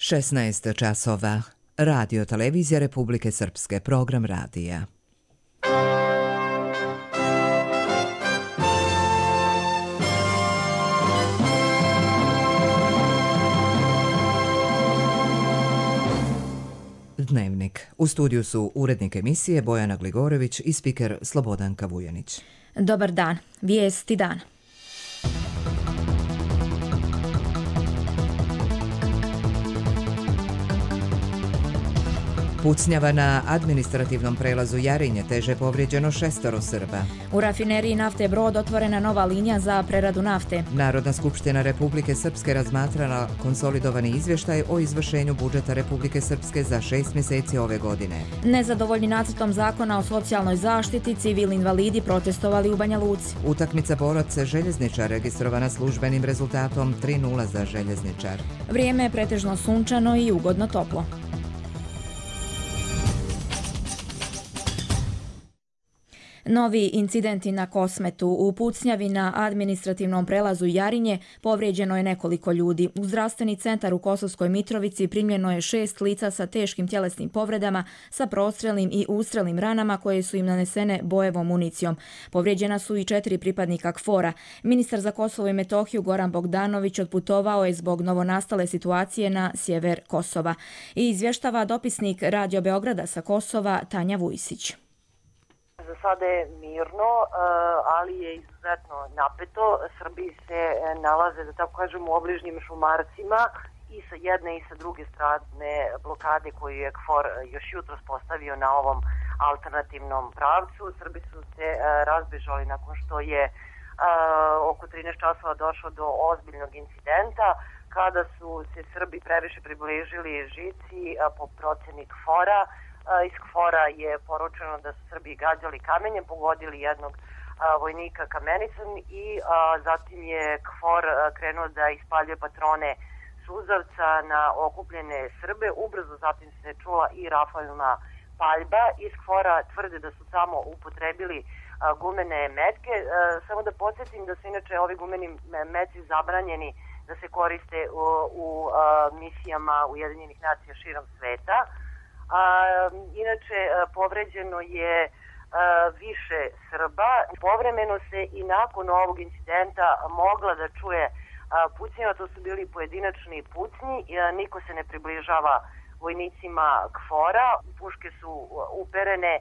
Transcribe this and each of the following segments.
16 časova. Radio Televizija Republike Srpske, program radija. Dnevnik. U studiju su urednik emisije Bojana Gligorević i spiker Slobodanka Vujanić. Dobar dan. Vijesti dana. Pucnjava na administrativnom prelazu Jarinje, teže povrijeđeno 6 Srba. U rafineriji nafte Brod otvorena nova linija za preradu nafte. Narodna skupština Republike Srpske razmatrala konsolidovani izvještaj o izvršenju budžeta Republike Srpske za 6 mjeseci ove godine. Nezadovoljni nacrtom zakona o socijalnoj zaštiti, civilni invalidi protestovali u Banja Luci. Utakmica Borac Željezničar registrovana službenim rezultatom 3:0 za Željezničar. Vrijeme je pretežno sunčano i ugodno toplo. Novi incidenti na Kosmetu. U pucnjavi na administrativnom prelazu Jarinje povrijeđeno je nekoliko ljudi. U zdravstveni centar u Kosovskoj Mitrovici primljeno je 6 lica sa teškim tjelesnim povredama, sa prostrelnim i ustrelnim ranama koje su im nanesene bojevom municijom. Povrijeđena su i 4 pripadnika KFOR-a. Ministar za Kosovo i Metohiju Goran Bogdanović odputovao je zbog novonastale situacije na sjever Kosova. I izvještava dopisnik Radio Beograda sa Kosova Tanja Vujsić. Za sada je mirno, ali je izuzetno napeto. Srbi se nalaze, da tako kažem, u obližnjim šumarcima i sa jedne i sa druge strane blokade koju je KFOR još jutros postavio na ovom alternativnom pravcu. Srbi su se razbežali nakon što je oko 13 časova došlo do ozbiljnog incidenta, kada su se Srbi previše približili žici po proceni KFOR-a. Iz KFOR-a je poručeno da su Srbi gađali kamenjem, pogodili jednog vojnika kamenicom i zatim je KFOR krenuo da ispaljuje patrone suzavca na okupljene Srbe. Ubrzo zatim se čula i rafalna paljba. Iz KFOR-a tvrde da su samo upotrebili gumene metke. Samo da podsjetim da su inače ovi gumeni metci zabranjeni da se koriste u misijama Ujedinjenih nacija širom sveta. Inače, povređeno je više Srba. Povremeno se i nakon ovog incidenta mogla da čuje pucnjeva, to su bili pojedinačni pucnji, niko se ne približava vojnicima KFOR-a, puške su uperene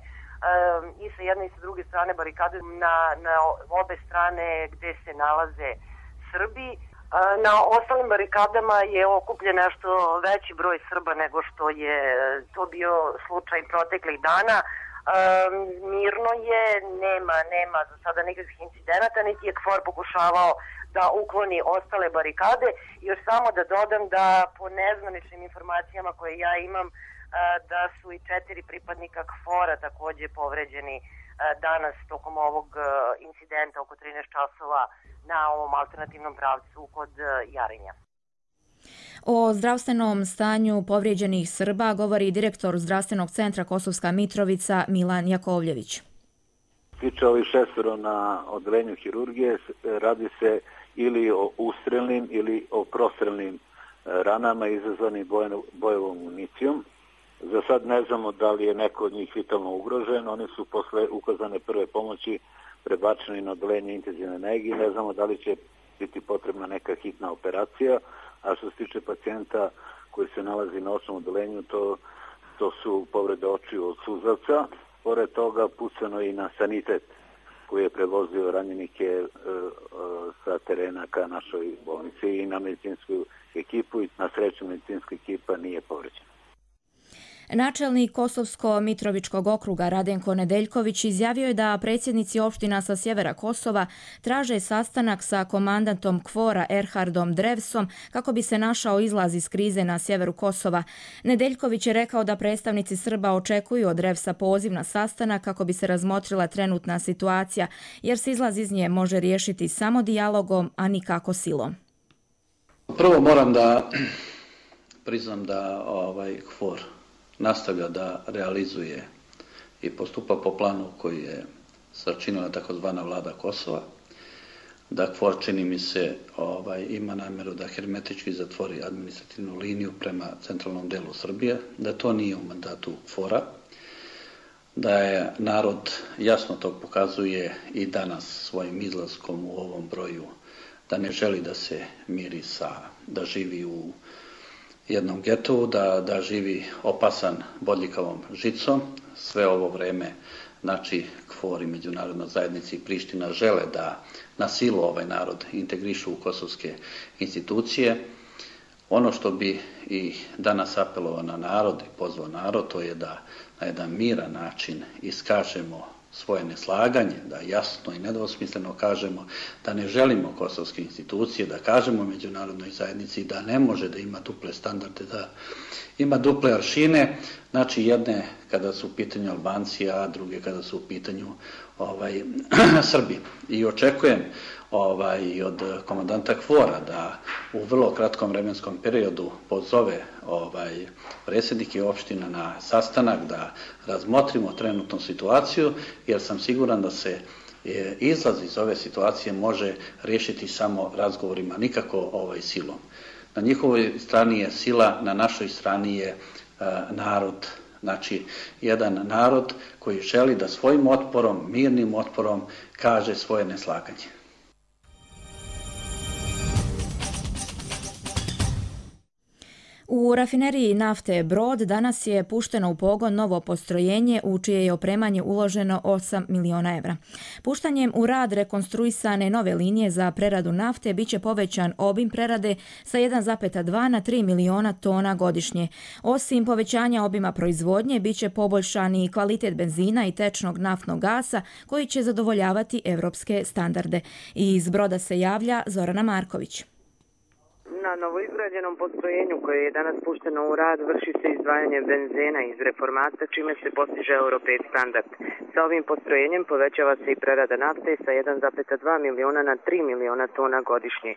i sa jedne i sa druge strane barikade na obe strane gde se nalaze Srbi. Na ostalim barikadama je okupljen nešto veći broj Srba nego što je to bio slučaj proteklih dana. Mirno je, nema za sada nikakvih incidenata, niti je KFOR pokušavao da ukloni ostale barikade. Još samo da dodam da po nezvaničnim informacijama koje ja imam, da su i 4 pripadnika KFOR-a također povređeni danas tokom ovog incidenta oko 13 časova na ovom alternativnom pravcu kod Jarinja. O zdravstvenom stanju povrijeđenih Srba govori direktor zdravstvenog centra Kosovska Mitrovica Milan Jakovljević. Tiče ovih 6 na odeljenju hirurgije, radi se ili o ustrelnim ili o prostrelnim ranama izazvanim bojevom municijom. Za sad ne znamo da li je neko od njih vitalno ugrožen. Oni su posle ukazane prve pomoći prebačeni na odeljenje intenzivne nege i ne znamo da li će biti potrebna neka hitna operacija. A što se tiče pacijenta koji se nalazi na očnom odeljenju, to su povrede očiju od suzavca. Pored toga pucano i na sanitet koji je prevozio ranjenike sa terena ka našoj bolnici i na medicinsku ekipu, i na sreću medicinska ekipa nije povređena. Načelnik Kosovsko-Mitrovičkog okruga Radenko Nedeljković izjavio je da predsjednici opština sa sjevera Kosova traže sastanak sa komandantom KFOR-a Erhardom Drevsom kako bi se našao izlaz iz krize na sjeveru Kosova. Nedeljković je rekao da predstavnici Srba očekuju od Drevsa poziv na sastanak kako bi se razmotrila trenutna situacija, jer se izlaz iz nje može riješiti samo dijalogom, a nikako silom. Prvo moram da priznam da KFOR nastavlja da realizuje i postupa po planu koji je sačinila takozvana vlada Kosova, da KFOR, čini mi se, ima namjeru da hermetički zatvori administrativnu liniju prema centralnom delu Srbije, da to nije u mandatu KFOR-a, da je narod jasno to pokazuje i danas svojim izlaskom u ovom broju, da ne želi da se miri da živi u jednom getu, da živi opasan bodljikavom žicom. Sve ovo vreme, znači, KFOR i međunarodna zajednica i Priština žele da na silu ovaj narod integrišu u kosovske institucije. Ono što bi i danas apelovao na narod i pozvao narod, to je da na jedan miran način iskažemo svoje neslaganje, da jasno i nedvosmisleno kažemo da ne želimo kosovske institucije, da kažemo međunarodnoj zajednici da ne može da ima duple standarde, da ima duple aršine, znači jedne kada su u pitanju Albanci, a druge kada su u pitanju Srbi. I očekujem i od komandanta KFOR-a da u vrlo kratkom vremenskom periodu pozove predsjednike opština na sastanak, da razmotrimo trenutnu situaciju, jer sam siguran da se izlaz iz ove situacije može riješiti samo razgovorima, nikako silom. Na njihovoj strani je sila, na našoj strani je narod. Znači, jedan narod koji želi da svojim otporom, mirnim otporom, kaže svoje neslaganje. U rafineriji nafte Brod danas je pušteno u pogon novo postrojenje u čije je opremanje uloženo 8 miliona evra. Puštanjem u rad rekonstruisane nove linije za preradu nafte biće povećan obim prerade sa 1,2 na 3 miliona tona godišnje. Osim povećanja obima proizvodnje, biće poboljšan i kvalitet benzina i tečnog naftnog gasa koji će zadovoljavati evropske standarde. Iz Broda se javlja Zorana Marković. Na novoizgrađenom postrojenju koje je danas pušteno u rad vrši se izdvajanje benzena iz reformata, čime se postiže Euro 5 standard. Sa ovim postrojenjem povećava se i prerada nafte sa 1,2 miliona na 3 miliona tona godišnje.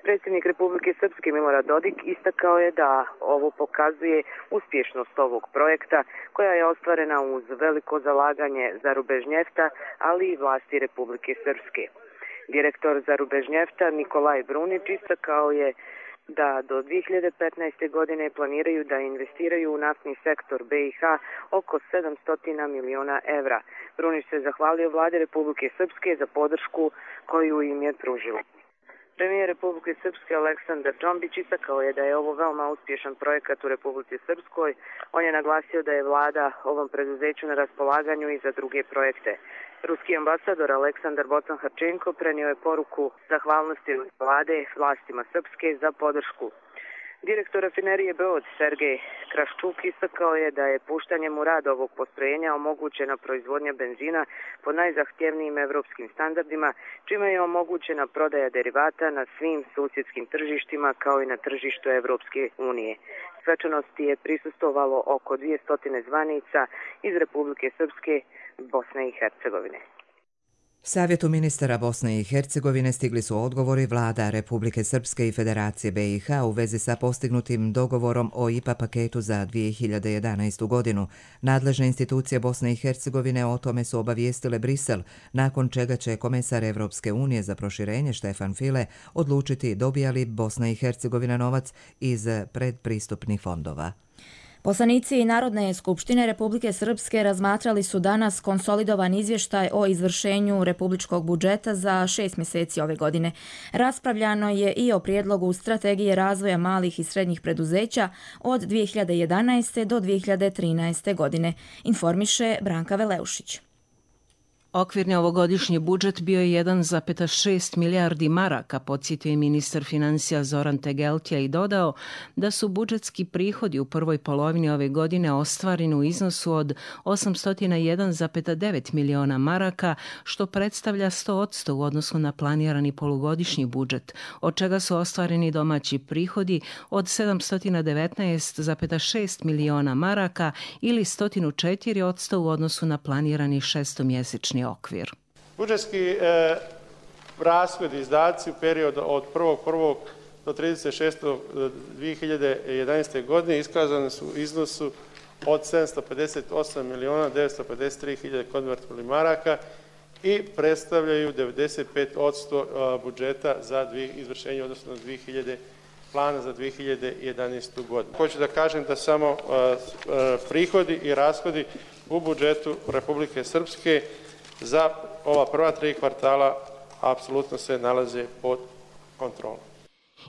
Predsjednik Republike Srpske Milorad Dodik istakao je da ovo pokazuje uspješnost ovog projekta koja je ostvarena uz veliko zalaganje za Rubežnjefta, ali i vlasti Republike Srpske. Direktor za Rubežnjefta Nikolaj Brunić istakao je da do 2015. godine planiraju da investiraju u naftni sektor BiH oko 700 miliona evra. Brunić se zahvalio vladi Republike Srpske za podršku koju im je pružila. Premijer Republike Srpske Aleksandar Džombić istakao je da je ovo veoma uspješan projekat u Republici Srpskoj. On je naglasio da je vlada ovom preduzeću na raspolaganju i za druge projekte. Ruski ambasador Aleksandar Bocan-Harčenko prenio je poruku zahvalnosti vlade vlastima Srpske za podršku. Direktor rafinerije Brod Sergej Kraščuk istakao je da je puštanjem u rad ovog postrojenja omogućena proizvodnja benzina po najzahtjevnijim evropskim standardima, čime je omogućena prodaja derivata na svim susjedskim tržištima kao i na tržištu Evropske unije. Svečanosti je prisustvovalo oko 200 zvanica iz Republike Srpske, Bosne i Hercegovine. Savjetu ministara Bosne i Hercegovine stigli su odgovori vlada Republike Srpske i Federacije BiH u vezi sa postignutim dogovorom o IPA paketu za 2011. godinu. Nadležne institucije Bosne i Hercegovine o tome su obavijestile Brisel, nakon čega će komesar Evropske unije za proširenje Štefan File odlučiti dobija li Bosna i Hercegovina novac iz predpristupnih fondova. Poslanici Narodne skupštine Republike Srpske razmatrali su danas konsolidovan izvještaj o izvršenju republičkog budžeta za 6 mjeseci ove godine. Raspravljano je i o prijedlogu strategije razvoja malih i srednjih preduzeća od 2011. do 2013. godine, informiše Branka Veleušić. Okvirni ovogodišnji budžet bio je 1,6 milijardi maraka, podsjetio je ministar financija Zoran Tegeltija i dodao da su budžetski prihodi u prvoj polovini ove godine ostvareni u iznosu od 801,9 miliona maraka, što predstavlja 100% u odnosu na planirani polugodišnji budžet, od čega su ostvareni domaći prihodi od 719,6 miliona maraka ili 104% u odnosu na planirani šestomjesečni okvir. Budžetski rashodi i izdaci u periodu od 1.1. do 36.2011. godine iskazani su u iznosu od 758.953.000 konvertibilnih maraka i predstavljaju 95% budžeta za izvršenje, odnosno plana za 2011. godinu. Hoću da kažem da samo prihodi i rashodi u budžetu Republike Srpske za ova prva 3 kvartala apsolutno se nalaze pod kontrolom.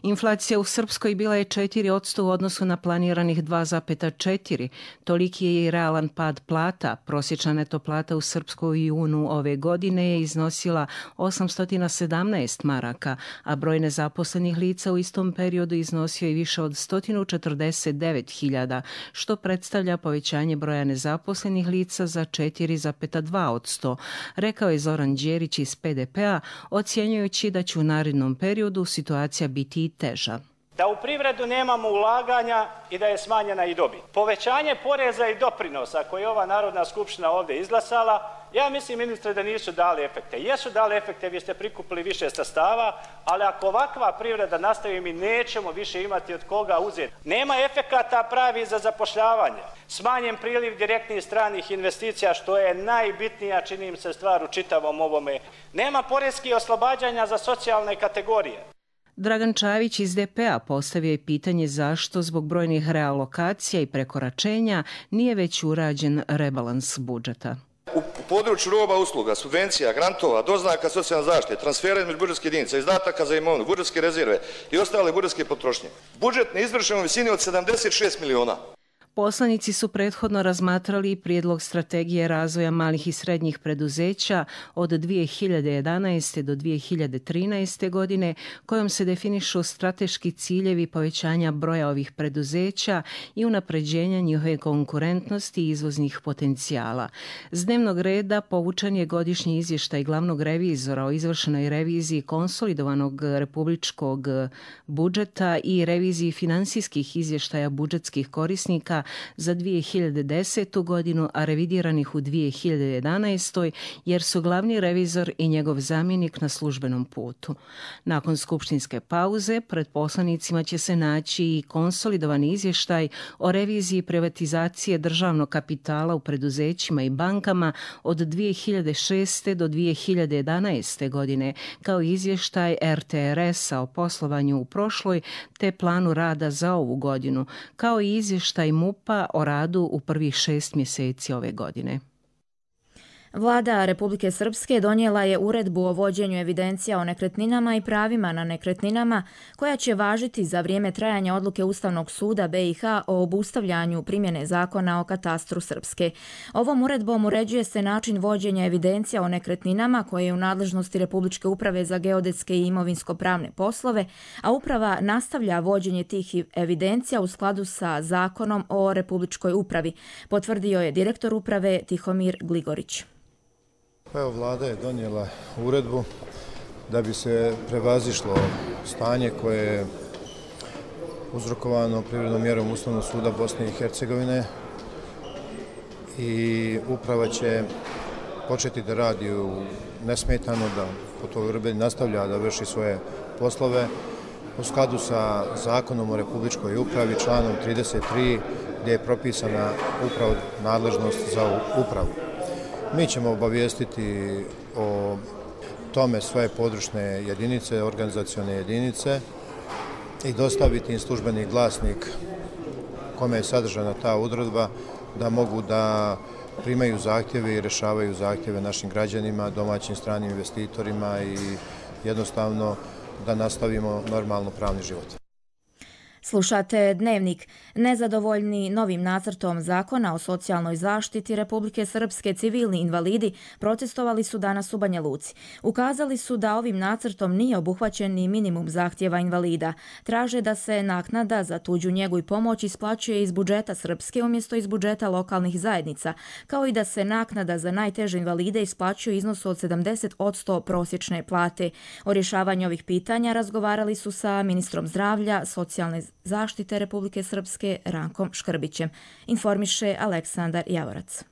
Inflacija u Srpskoj bila je 4% u odnosu na planiranih 2,4%. Toliki je i realan pad plata. Prosječna neto plata u Srpskoj u junu ove godine je iznosila 817 maraka, a broj nezaposlenih lica u istom periodu iznosio je više od 149.000, što predstavlja povećanje broja nezaposlenih lica za 4,2%, rekao je Zoran Đerić iz PDP-a, ocjenjujući da će u narednom periodu situacija biti i teža. Da u privredu nemamo ulaganja i da je smanjena i dobit. Povećanje poreza i doprinosa koje je ova Narodna skupština ovdje izglasala, ja mislim, ministre, da nisu dali efekte. Jesu dali efekte, vi ste prikupili više sredstava, ali ako ovakva privreda nastavi, mi nećemo više imati od koga uzeti. Nema efekata pravi za zapošljavanje. Smanjen priliv direktnih stranih investicija, što je najbitnija, čini im se, stvar u čitavom ovome. Nema poreskih oslobađanja za socijalne kategorije. Dragan Čavić iz DP-a postavio je pitanje zašto zbog brojnih realokacija i prekoračenja nije već urađen rebalans budžeta. U području roba, usluga, subvencija, grantova, doznaka socijalne zaštite, transfera između budžetskih jedinica, izdataka za imovinu, budžetske rezerve i ostale budžetske potrošnje. Budžet neizvršen u visini od 76 miliona. Poslanici su prethodno razmatrali prijedlog strategije razvoja malih i srednjih preduzeća od 2011. do 2013. godine, kojom se definišu strateški ciljevi povećanja broja ovih preduzeća i unapređenja njihove konkurentnosti i izvoznih potencijala. S dnevnog reda povučen je godišnji izvještaj glavnog revizora o izvršenoj reviziji konsolidovanog republičkog budžeta i reviziji finansijskih izvještaja budžetskih korisnika za 2010. godinu, a revidiranih u 2011. jer su glavni revizor i njegov zamjenik na službenom putu. Nakon skupštinske pauze pred poslanicima će se naći i konsolidovani izvještaj o reviziji privatizacije državnog kapitala u preduzećima i bankama od 2006. do 2011. godine, kao i izvještaj RTRS-a o poslovanju u prošloj te planu rada za ovu godinu, kao i izvještaj MUP-a o radu u prvih 6 mjeseci ove godine. Vlada Republike Srpske donijela je uredbu o vođenju evidencija o nekretninama i pravima na nekretninama, koja će važiti za vrijeme trajanja odluke Ustavnog suda BiH o obustavljanju primjene zakona o katastru Srpske. Ovom uredbom uređuje se način vođenja evidencija o nekretninama koje je u nadležnosti Republičke uprave za geodetske i imovinsko-pravne poslove, a uprava nastavlja vođenje tih evidencija u skladu sa zakonom o Republičkoj upravi, potvrdio je direktor uprave Tihomir Gligorić. Evo, vlada je donijela uredbu da bi se prevazišlo stanje koje je uzrokovano privrednom mjerom Ustavnog suda Bosne i Hercegovine i uprava će početi da radi nesmetano, da po toj uredbi nastavlja da vrši svoje poslove u skladu sa zakonom o Republičkoj upravi, članom 33, gdje je propisana upravo nadležnost za upravu. Mi ćemo obavijestiti o tome svoje područne jedinice, organizacione jedinice i dostaviti im službeni glasnik kome je sadržana ta odredba, da mogu da primaju zahtjeve i rješavaju zahtjeve našim građanima, domaćim stranim investitorima i jednostavno da nastavimo normalno pravni život. Slušate Dnevnik. Nezadovoljni novim nacrtom zakona o socijalnoj zaštiti Republike Srpske, civilni invalidi protestovali su danas u Banja Luci. Ukazali su da ovim nacrtom nije obuhvaćen ni minimum zahtjeva invalida. Traže da se naknada za tuđu njegu i pomoć isplaćuje iz budžeta Srpske umjesto iz budžeta lokalnih zajednica, kao i da se naknada za najteže invalide isplaćuje u iznosu od 70% prosječne plate. O rješavanju ovih pitanja razgovarali su sa ministrom zdravlja, socijalne zaštite Republike Srpske Rankom Škrbićem, informiše Aleksandar Javorac.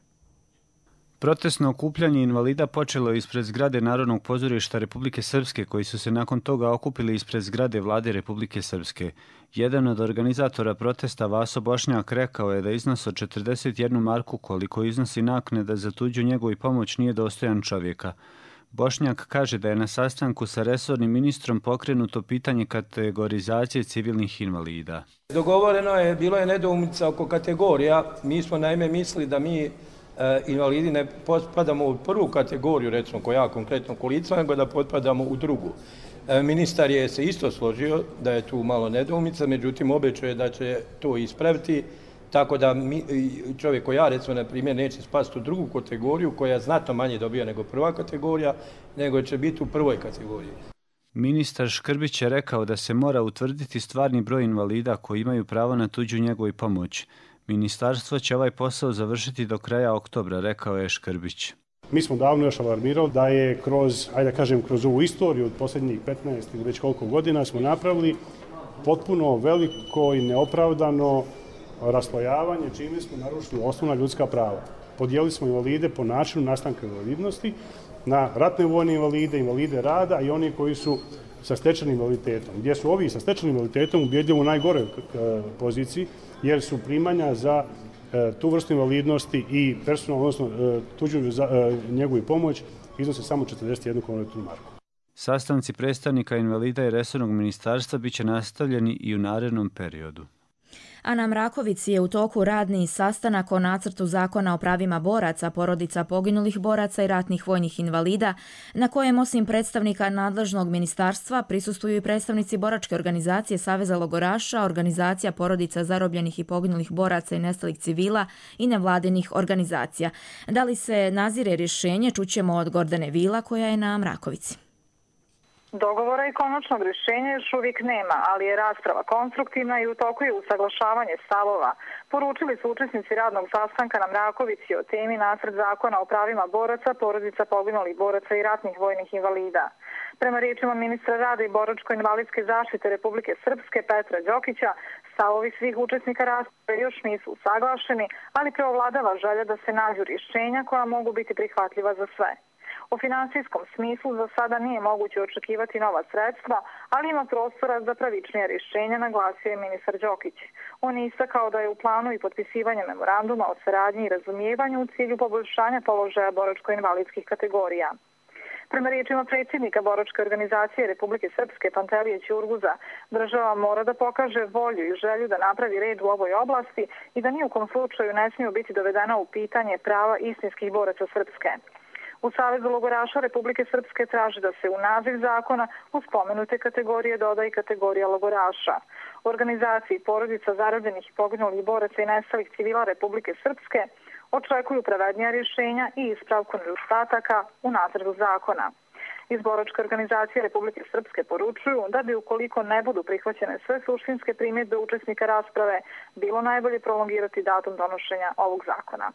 Protestno okupljanje invalida počelo je ispred zgrade Narodnog pozorišta Republike Srpske, koji su se nakon toga okupili ispred zgrade Vlade Republike Srpske. Jedan od organizatora protesta, Vaso Bošnjak, rekao je da iznos od 41 marku koliko iznosi naknada za tuđu njegu i pomoć nije dostojan čovjeka. Bošnjak kaže da je na sastanku sa resornim ministrom pokrenuto pitanje kategorizacije civilnih invalida. Dogovoreno je, bilo je nedoumica oko kategorija. Mi smo naime mislili da mi invalidi ne potpadamo u prvu kategoriju, recimo koja konkretno kolica, nego da potpadamo u drugu. Ministar je se isto složio da je tu malo nedoumica, međutim obećao da će to ispraviti, tako da čovjek koji ja recimo na primjer neće spasti u drugu kategoriju koja znatno manje dobija nego prva kategorija, nego će biti u prvoj kategoriji. Ministar Škrbić je rekao da se mora utvrditi stvarni broj invalida koji imaju pravo na tuđu njegu i pomoć. Ministarstvo će ovaj posao završiti do kraja oktobra, rekao je Škrbić. Mi smo davno još alarmirali da je kroz ovu istoriju od posljednjih 15 ili već koliko godina smo napravili potpuno veliko i neopravdano raslojavanje, čime smo narušili osnovna ljudska prava. Podijelili smo invalide po načinu nastanka invalidnosti na ratne vojne invalide, invalide rada i oni koji su sa stečenim invaliditetom. Gdje su ovi sa stečenim invaliditetom ubjedljivo u najgoroj poziciji, jer su primanja za tu vrstu invalidnosti i personalno, odnosno tuđu njegu i pomoć iznose samo 41 konvertnu marku. Sastanci predstavnika invalida i resornog ministarstva bit će nastavljeni i u narednom periodu. A na Mrakovici je u toku radni sastanak o nacrtu zakona o pravima boraca, porodica poginulih boraca i ratnih vojnih invalida, na kojem osim predstavnika nadležnog ministarstva prisustvuju i predstavnici boračke organizacije Saveza logoraša, organizacija porodica zarobljenih i poginulih boraca i nestalih civila i nevladinih organizacija. Da li se nazire rješenje, čućemo od Gordane Vila koja je na Mrakovici. Dogovora i konačnog rješenja još uvijek nema, ali je rasprava konstruktivna i u toku je usaglašavanje stavova. Poručili su učesnici radnog sastanka na Mrakovici o temi nacrt zakona o pravima boraca, porodica poginulih boraca i ratnih vojnih invalida. Prema riječima ministra rada i boračko-invalidske zaštite Republike Srpske Petra Đokića, stavovi svih učesnika rasprave još nisu usaglašeni, ali preovladava želja da se nađu rješenja koja mogu biti prihvatljiva za sve. U finansijskom smislu za sada nije moguće očekivati nova sredstva, ali ima prostora za pravičnije rješenja, naglasio je ministar Đokić. On je istakao da je u planu i potpisivanje memoranduma o saradnji i razumijevanju u cilju poboljšanja položaja boračko-invalidskih kategorija. Prema riječima predsjednika boračke organizacije Republike Srpske Pantelije Ćurguza, država mora da pokaže volju i želju da napravi red u ovoj oblasti i da ni u kom slučaju ne smiju biti dovedena u pitanje prava istinskih boraca Srpske. U Savezu logoraša Republike Srpske traži da se u naziv zakona u spomenute kategorije doda i kategorija logoraša. U organizaciji porodica zarobljenih i poginulih boraca i nestalih civila Republike Srpske očekuju pravednija rješenja i ispravku nedostataka u nacrtu zakona. Iz boračke organizacije Republike Srpske poručuju da bi ukoliko ne budu prihvaćene sve suštinske primjedbe učesnika rasprave, bilo najbolje prolongirati datum donošenja ovog zakona.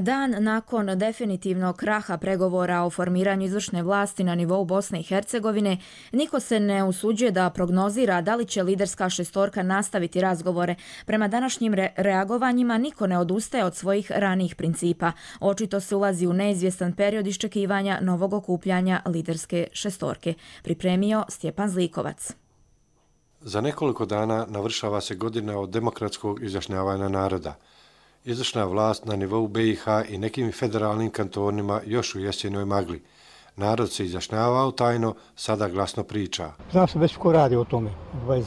Dan nakon definitivnog kraha pregovora o formiranju izvršne vlasti na nivou Bosne i Hercegovine, niko se ne usuđuje da prognozira da li će liderska šestorka nastaviti razgovore. Prema današnjim reagovanjima niko ne odustaje od svojih ranijih principa. Očito se ulazi u neizvjestan period iščekivanja novog okupljanja liderske šestorke. Pripremio Stjepan Zlikovac. Za nekoliko dana navršava se godina od demokratskog izjašnjavanja naroda. Izvršna vlast na nivou BiH i nekim federalnim kantonima još u jesenjoj magli. Narod se izjašnjavao tajno, sada glasno priča. Zna se već ko radi o tome,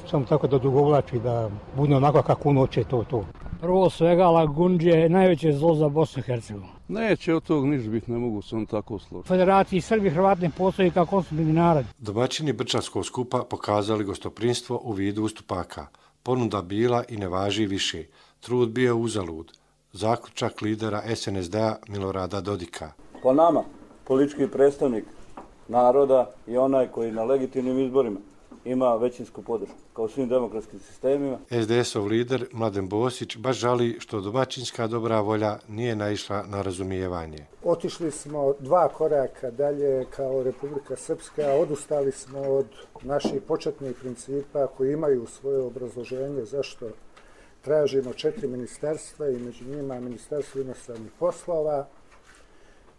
samo tako da dugovlači, da bude onako kako unoće to. Prvo svega, Lagundže je najveće zlo za Bosnu i Hercegovinu. Neće od tog niš biti, ne mogu se on tako složiti. Federaciji Srbi Hrvati ne postoji kao konstitutivni narod. Domaćini Brčanskog skupa pokazali gostoprinstvo u vidu ustupaka. Ponuda bila i ne važi više. Trud bio uzalud. Zaključak lidera SNSD-a Milorada Dodika. Po nama, politički predstavnik naroda i onaj koji na legitimnim izborima ima većinsku podršku, kao u svim demokratskim sistemima. SDS-ov lider Mladen Bosić baš žali što domaćinska dobra volja nije naišla na razumijevanje. Otišli smo 2 koraka dalje kao Republika Srpska, a odustali smo od naših početnih principa koji imaju svoje obrazloženje zašto tražimo 4 ministarstva i među njima Ministarstvo inostranih poslova.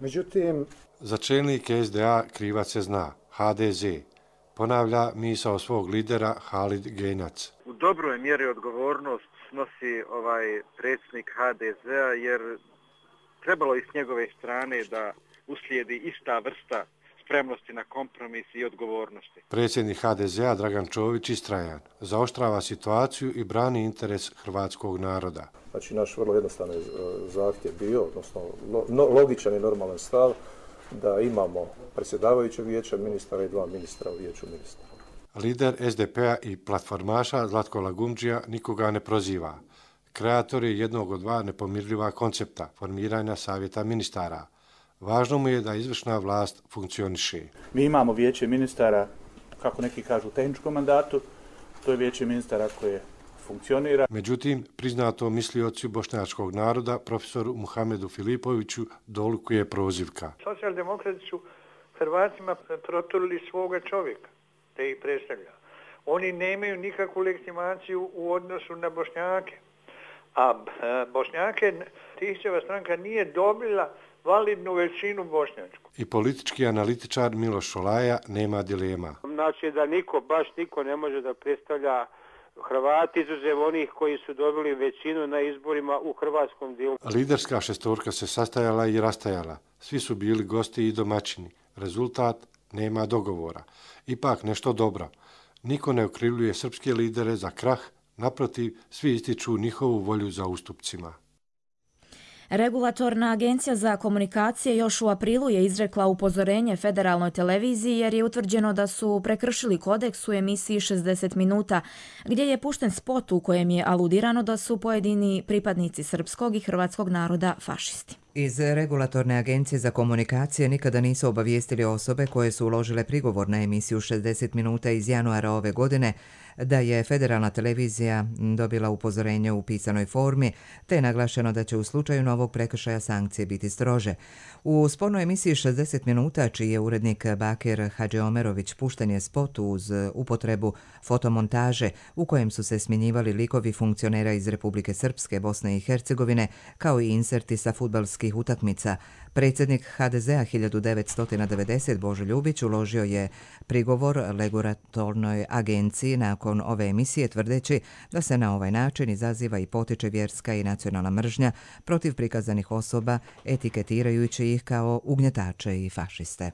Međutim, za čelnike SDA krivac se zna, HDZ. Ponavlja misao svog lidera Halid Gejnac. U dobroj mjeri odgovornost snosi predsjednik HDZ-a, jer trebalo i s njegove strane da uslijedi ista vrsta spremnosti na kompromis i odgovornosti. Predsjednik HDZ-a Dragan Čović istrajan, zaoštrava situaciju i brani interes hrvatskog naroda. Znači, naš vrlo jednostavan zahtjev bio, odnosno logičan i normalan stav, da imamo predsjedavajućeg vijeća ministara i 2 ministra u vijeću ministara. Lider SDP-a i platformaša Zlatko Lagumdžija nikoga ne proziva. Kreator je jednog od 2 nepomirljiva koncepta formiranja savjeta ministara. Važno mu je da izvršna vlast funkcioniše. Mi imamo vijeće ministara, kako neki kažu, u tehničkom mandatu. To je vijeće ministara koje funkcionira. Međutim, priznato misliocu bošnjačkog naroda, profesoru Muhamedu Filipoviću, dolikuje prozivka. Socijaldemokrati su Hrvatima proturili svoga čovjeka, te ih predstavlja. Oni nemaju nikakvu legitimaciju u odnosu na Bošnjake. A Bošnjake Tihćeva stranka nije dobila validnu većinu bošnjačku. I politički analitičar Miloš Šolaja nema dilema. Znači da baš niko ne može da predstavlja Hrvati izuzev onih koji su dobili većinu na izborima u hrvatskom dijelu. Liderska šestorka se sastajala i rastajala. Svi su bili gosti i domaćini. Rezultat, nema dogovora. Ipak nešto dobro. Niko ne okrivljuje srpske lidere za krah, naprotiv, svi ističu njihovu volju za ustupcima. Regulatorna agencija za komunikacije još u aprilu je izrekla upozorenje federalnoj televiziji jer je utvrđeno da su prekršili kodeks u emisiji 60 minuta, gdje je pušten spot u kojem je aludirano da su pojedini pripadnici srpskog i hrvatskog naroda fašisti. Iz Regulatorne agencije za komunikacije nikada nisu obavijestili osobe koje su uložile prigovor na emisiju 60 minuta iz januara ove godine da je federalna televizija dobila upozorenje u pisanoj formi, te je naglašeno da će u slučaju novog prekršaja sankcije biti strože. U spornoj emisiji 60 minuta, čiji je urednik Bakir Hadžiomerović, pušten je spot uz upotrebu fotomontaže u kojem su se smjenjivali likovi funkcionera iz Republike Srpske, Bosne i Hercegovine, kao i inserti sa fudbalskih utakmica. Predsjednik HDZ-a 1990 Božo Ljubić uložio je prigovor Regulatornoj agenciji nakon ove emisije, tvrdeći da se na ovaj način izaziva i potiče vjerska i nacionalna mržnja protiv prikazanih osoba, etiketirajući ih kao ugnjetače i fašiste.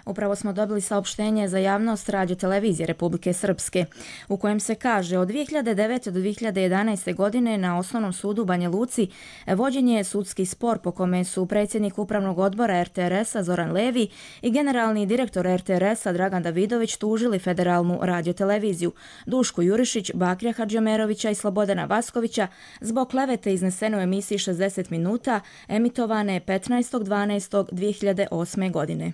Upravo smo dobili saopštenje za javnost Radio-televizije Republike Srpske, u kojem se kaže od 2009. do 2011. godine na Osnovnom sudu u Banja Luci vođen je sudski spor po kome su predsjednik Upravnog odbora RTRS-a Zoran Levi i generalni direktor RTRS-a Dragan Davidović tužili Federalnu radio-televiziju, Dušku Jurišić, Bakrija Hadžiomerovića i Slobodana Vaskovića zbog klevete iznesene u emisiji 60 minuta emitovane 15.12.2008. godine.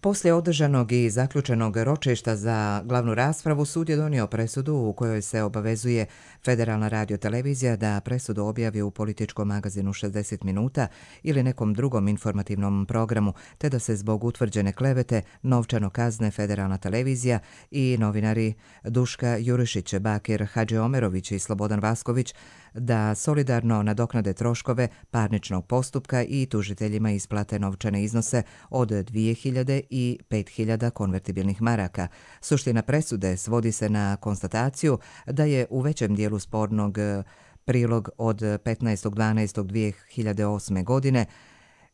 Poslije održanog i zaključenog ročišta za glavnu raspravu, sud je donio presudu u kojoj se obavezuje Federalna radio-televizija da presudu objavi u političkom magazinu 60 minuta ili nekom drugom informativnom programu, te da se zbog utvrđene klevete novčano kazne Federalna televizija i novinari Duška Jurišić, Bakir Hadžiomerović i Slobodan Vasković da solidarno nadoknade troškove parničnog postupka i tužiteljima isplate novčane iznose od 2000 i 5000 konvertibilnih maraka. Suština presude svodi se na konstataciju da je u većem dijelu spornog prilog od 15.12.2008. godine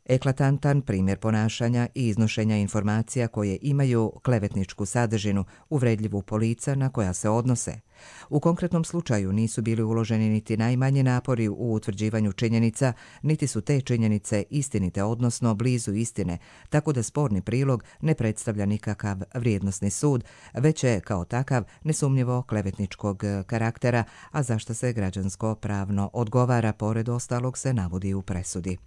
eklatantan primjer ponašanja i iznošenja informacija koje imaju klevetničku sadržinu, uvredljivu po lica na koja se odnose. U konkretnom slučaju nisu bili uloženi niti najmanji napori u utvrđivanju činjenica, niti su te činjenice istinite, odnosno blizu istine, tako da sporni prilog ne predstavlja nikakav vrijednosni sud, već je kao takav nesumnjivo klevetničkog karaktera, a zašto se građansko pravno odgovara, pored ostalog se navodi u presudi.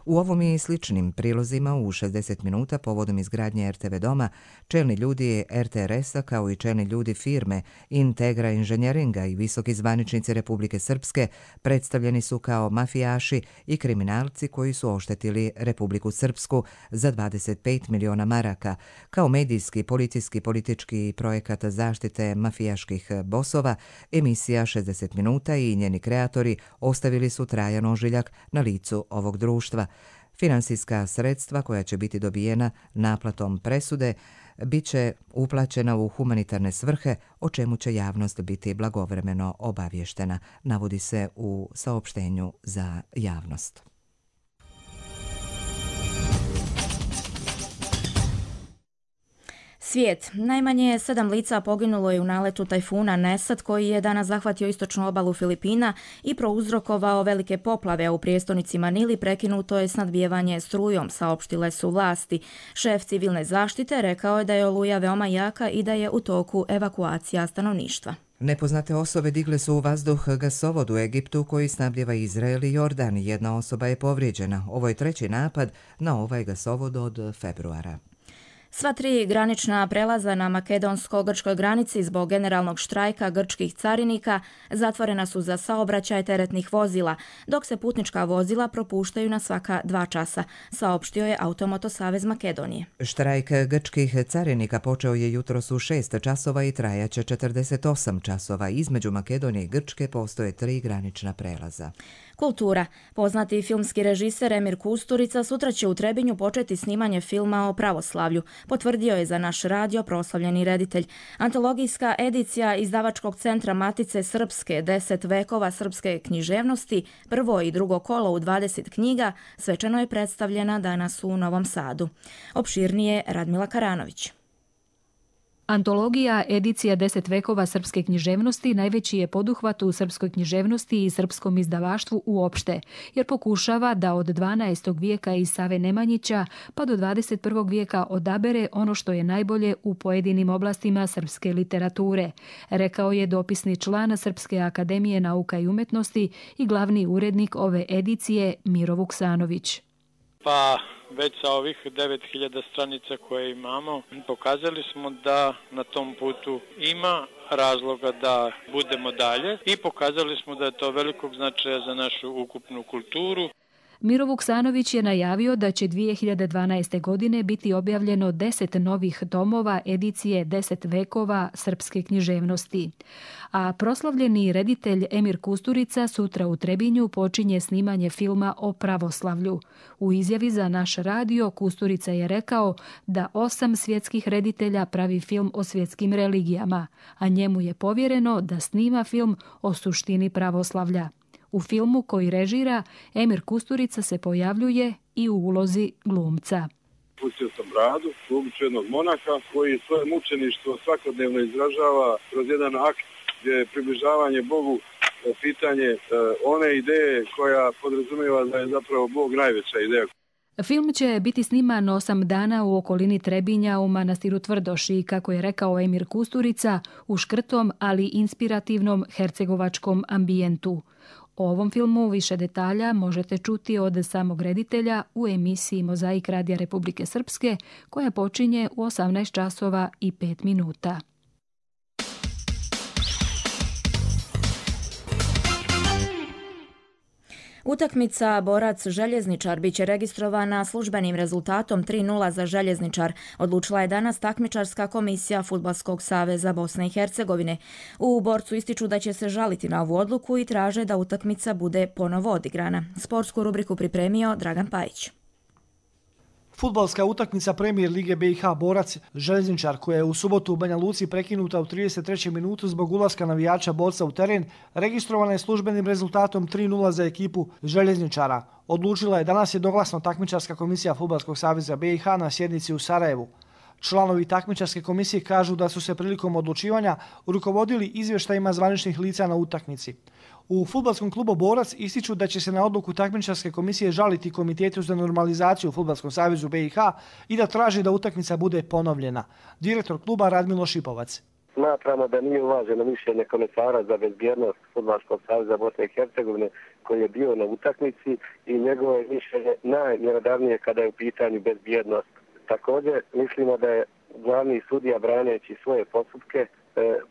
U ovom i sličnim prilozima u 60 minuta povodom izgradnje RTV doma, čelni ljudi RTRS-a kao i čelni ljudi firme Integra inženjeringa i visoki zvaničnici Republike Srpske predstavljeni su kao mafijaši i kriminalci koji su oštetili Republiku Srpsku za 25 miliona maraka. Kao medijski, policijski, politički projekat zaštite mafijaških bosova, emisija 60 minuta i njeni kreatori ostavili su trajan ožiljak na licu ovog društva. Finansijska sredstva koja će biti dobijena naplatom presude bit će uplaćena u humanitarne svrhe, o čemu će javnost biti blagovremeno obavještena, navodi se u saopštenju za javnost. Svijet. Najmanje 7 lica poginulo je u naletu tajfuna Nesat koji je danas zahvatio istočnu obalu Filipina i prouzrokovao velike poplave, a u prijestolnici Manili prekinuto je snadbijevanje strujom, saopštile su vlasti. Šef civilne zaštite rekao je da je oluja veoma jaka i da je u toku evakuacija stanovništva. Nepoznate osobe digle su u vazduh gasovod u Egiptu koji snabdjeva Izrael i Jordan. Jedna osoba je povrijeđena. Ovo je treći napad na ovaj gasovod od februara. Sva 3 granična prelaza na makedonsko-grčkoj granici zbog generalnog štrajka grčkih carinika zatvorena su za saobraćaj teretnih vozila, dok se putnička vozila propuštaju na svaka 2 časa, saopštio je Automoto Savez Makedonije. Štrajk grčkih carinika počeo je jutros u 6 časova i trajaće 48 časova. Između Makedonije i Grčke postoje 3 granična prelaza. Kultura. Poznati filmski režiser Emir Kusturica sutra će u Trebinju početi snimanje filma o pravoslavlju, potvrdio je za naš radio proslavljeni reditelj. Antologijska edicija izdavačkog centra Matice Srpske 10 vekova srpske književnosti, prvo i drugo kolo u 20 knjiga, svečano je predstavljena danas u Novom Sadu. Opširnije Radmila Karanović. Antologija edicija 10 vekova srpske književnosti najveći je poduhvat u srpskoj književnosti i srpskom izdavaštvu uopšte, jer pokušava da od 12. vijeka iz Save Nemanjića pa do 21. vijeka odabere ono što je najbolje u pojedinim oblastima srpske literature, rekao je dopisni član Srpske akademije nauka i umetnosti i glavni urednik ove edicije Miro Vuksanović. Pa već sa ovih 9000 stranica koje imamo, pokazali smo da na tom putu ima razloga da budemo dalje i pokazali smo da je to velikog značaja za našu ukupnu kulturu. Miro Vuksanović je najavio da će 2012. godine biti objavljeno 10 novih tomova edicije 10 vekova srpske književnosti. A proslavljeni reditelj Emir Kusturica sutra u Trebinju počinje snimanje filma o pravoslavlju. U izjavi za naš radio Kusturica je rekao da 8 svjetskih reditelja pravi film o svjetskim religijama, a njemu je povjereno da snima film o suštini pravoslavlja. U filmu koji režira, Emir Kusturica se pojavljuje i u ulozi glumca. Pustio sam bradu, glumcu jednog monaha koji svoje mučeništvo svakodnevno izražava kroz jedan akt gdje je približavanje Bogu pitanje one ideje koja podrazumijeva da je zapravo Bog najveća ideja. Film će biti sniman 8 dana u okolini Trebinja u manastiru Tvrdoši, kako je rekao Emir Kusturica, u škrtom, ali inspirativnom hercegovačkom ambijentu. O ovom filmu više detalja možete čuti od samog reditelja u emisiji Mozaik Radija Republike Srpske, koja počinje u 18 časova i 5 minuta. Utakmica Borac-Željezničar biće registrovana službenim rezultatom 3:0 za Željezničar, odlučila je danas takmičarska komisija Fudbalskog saveza Bosne i Hercegovine. U Borcu ističu da će se žaliti na ovu odluku i traže da utakmica bude ponovo odigrana. Sportsku rubriku pripremio Dragan Pajić. Fudbalska utakmica Premijer Lige BiH Borac Željezničar, koja je u subotu u Banja Luci prekinuta u 33. minutu zbog ulaska navijača Borca u teren, registrovana je službenim rezultatom 3:0 za ekipu Željezničara. Odlučila je danas jednoglasno takmičarska komisija Fudbalskog saveza BiH na sjednici u Sarajevu. Članovi takmičarske komisije kažu da su se prilikom odlučivanja rukovodili izvještajima zvaničnih lica na utakmici. U Fudbalskom klubu Borac ističu da će se na odluku takmičarske komisije žaliti Komitetu za normalizaciju u Fudbalskom savezu BiH i da traži da utakmica bude ponovljena. Direktor kluba Radmilo Šipovac. Smatramo da nije uvaženo mišljenje komisara za bezbjednost Fudbalskog saveza Bosne i Hercegovine koji je bio na utakmici i njegovo je mišljenje najmjerodavnije kada je u pitanju bezbjednost. Također mislimo da je glavni sudija braneći svoje postupke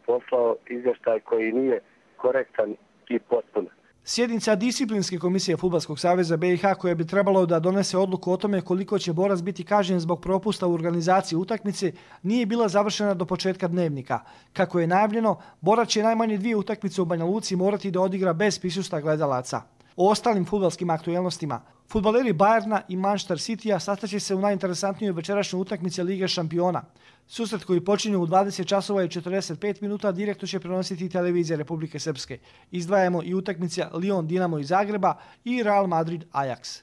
poslao izvještaj koji nije korektan i potpun. Sjednica disciplinske komisije Fudbalskog saveza BiH koja bi trebalo da donese odluku o tome koliko će Borac biti kažnjen zbog propusta u organizaciji utakmice nije bila završena do početka dnevnika. Kako je najavljeno, Borac će najmanje 2 utakmice u Banja Luci morati da odigra bez prisustva gledalaca. O ostalim fudbalskim aktuelnostima. Fudbaleri Bayerna i Manchester Citya sastaće se u najinteresantnijoj večerašnjoj utakmici Lige šampiona. Susret koji počinje u 20 časova i 45 minuta direktno će prenositi televizija Republike Srpske. Izdvajamo i utakmice Lyon Dinamo iz Zagreba i Real Madrid Ajax.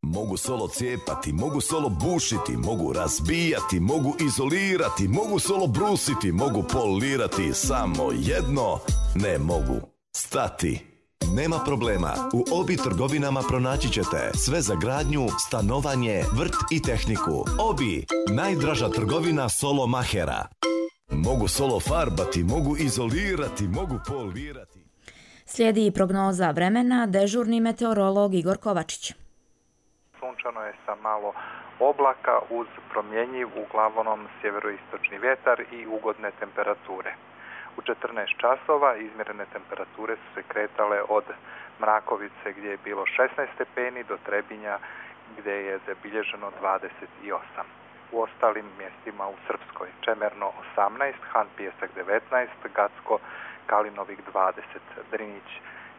Mogu solo cijepati, mogu solo bušiti, mogu razbijati, mogu izolirati, mogu solo brusiti, mogu polirati, samo jedno ne mogu stati. Nema problema, u Obi trgovinama pronaći ćete sve za gradnju, stanovanje, vrt i tehniku. Obi, najdraža trgovina solo mahera. Mogu solo farbati, mogu izolirati, mogu polirati. Slijedi i prognoza vremena, dežurni meteorolog Igor Kovačić. Sunčano je sa malo oblaka uz promjenjiv uglavnom sjeveroistočni vjetar i ugodne temperature. U 14 časova izmjerene temperature su se kretale od Mrakovice gdje je bilo 16 stepeni do Trebinja gdje je zabilježeno 28. U ostalim mjestima u Srpskoj Čemerno 18, Han Pijesak 19, Gacko, Kalinovik 20, Drinić,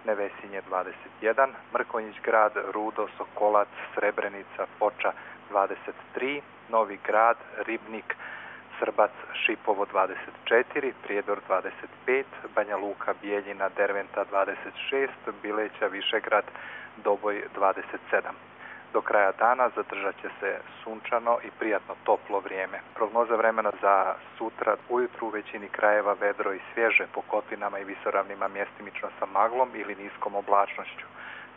Nevesinje 21, Mrkonjić grad, Rudo, Sokolac, Srebrenica, Foča 23, Novi grad, Ribnik, Srbac, Šipovo 24, Prijedor 25, Banja Luka, Bijeljina, Derventa 26, Bileća, Višegrad, Doboj 27. Do kraja dana zadržat će se sunčano i prijatno toplo vrijeme. Prognoza vremena za sutra ujutru u većini krajeva vedro i svježe, po kotlinama i visoravnima mjestimično sa maglom ili niskom oblačnošću.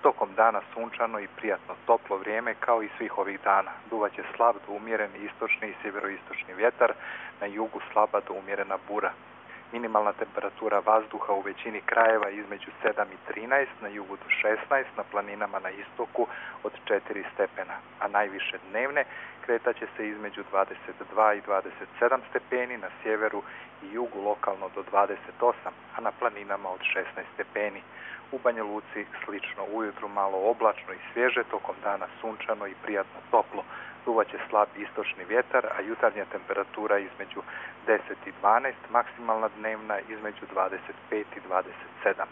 Tokom dana sunčano i prijatno toplo vrijeme kao i svih ovih dana. Duvaće slab do umjeren istočni i sjeveroistočni vjetar, na jugu slaba do umjerena bura. Minimalna temperatura vazduha u većini krajeva između 7 i 13, na jugu do 16, na planinama na istoku od 4 stepena, a najviše dnevne kretaće se između 22 i 27 stepeni, na sjeveru i jugu lokalno do 28, a na planinama od 16 stepeni. U Banja Luci slično ujutru malo oblačno i svježe, tokom dana sunčano i prijatno toplo. Duvaće slab istočni vjetar, a jutarnja temperatura između 10 i 12, maksimalna dnevna između 25 i 27.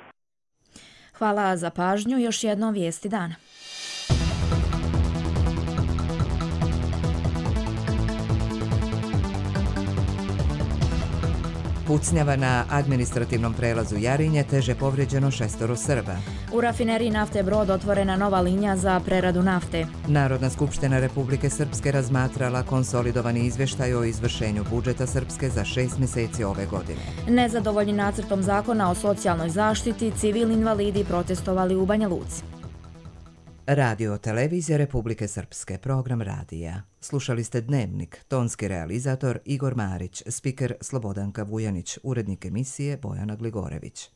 Hvala za pažnju, još jednom vijesti dana. Pucnjava na administrativnom prelazu Jarinje, teže povrijeđeno 6 Srba. U rafineriji nafte Brod otvorena nova linija za preradu nafte. Narodna skupština Republike Srpske razmatrala konsolidovani izvještaj o izvršenju budžeta Srpske za 6 mjeseci ove godine. Nezadovoljni nacrtom zakona o socijalnoj zaštiti, civilni invalidi protestovali u Banja Luci. Radio televizija Republike Srpske, program radija. Slušali ste Dnevnik, tonski realizator Igor Marić, spiker Slobodanka Vujanić, urednik emisije Bojana Gligorević.